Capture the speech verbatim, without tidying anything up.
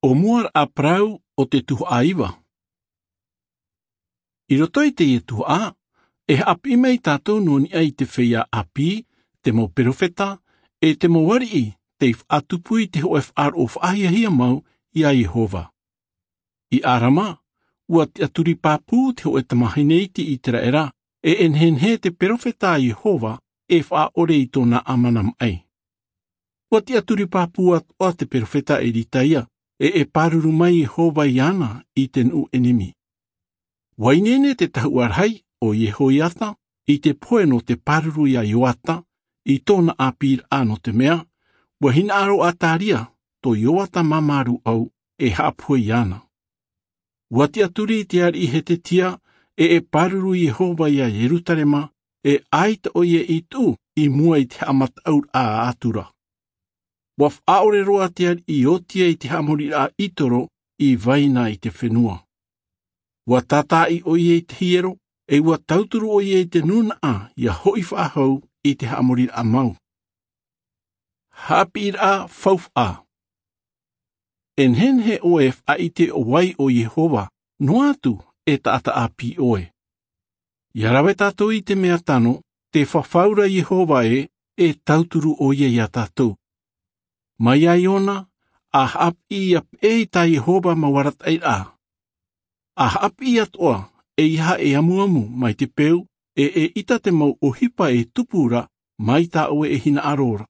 ʻO mua raʻa parau o te tuhaʻa iva. I roto i teie tuhaʻa, e haʻapiʻi mai tātou nō niʻa i te feiā ʻāpī, te mau perofeta, e te mau ariʻi tei faʻatupu i te hōʻē faʻaroʻo faʻahiahia mau iā Iehova. I ʻĀrama, ua tiʻaturi pāpū te hōʻē tamāhine iti ʻĪteraʻera, e e nehenehe te perofeta a Iehova e faʻaʻore i tōna ʻāmana maʻi. Ua tiʻaturi pāpū atoʻa te perofeta Eritaia, e e pāruru mai Iehova iāna i te nuʻu ʻenemi. Ua ineine te tahuʻa rahi ʻo Iehoiata i te pohe nō te pāruru iā Ioata i tōna ʻāpīraʻa, nō te mea, ua hinaʻaro ʻo Ataria, tō Ioata māmā rūʻau, e haʻapohe iāna. Ua tiʻaturi te ariʻi Hetetia, e e pāruru Iehova iā Ierutarema, e ʻaita ʻoia i tuʻu i mua i te haʻamataʻuraʻa a Atura. Ua faʻaʻore roa te ariʻi Iotia i te haʻamoriraʻa ʻĪtoro i vai na i te fenua. Ua tātāʻi ʻoia i te hiero, e ua tauturu ʻoia i te nūnaʻa ʻia hoʻi faʻahou i te haʻamoriraʻa mau. Haʻapiʻiraʻa faufaʻa. E nehenehe ʻoe e faʻaʻite ʻo vai ʻo Iehova, noa atu e taʻata ʻāpī ʻoe. ʻIa rave tātou i te mea tano, tē fafau ra Iehova ē, e tauturu ʻoia iā tātou. Mai iā Iona, ʻa haʻapiʻi ʻia peʻe i tā Iehova mau arataʻiraʻa. ʻA haʻapiʻi atoʻa, ʻeiaha e amuamu mai te peu, e e ʻita te mau ʻohipa e tupu ra mai tā ʻoe e hinaʻaro ra.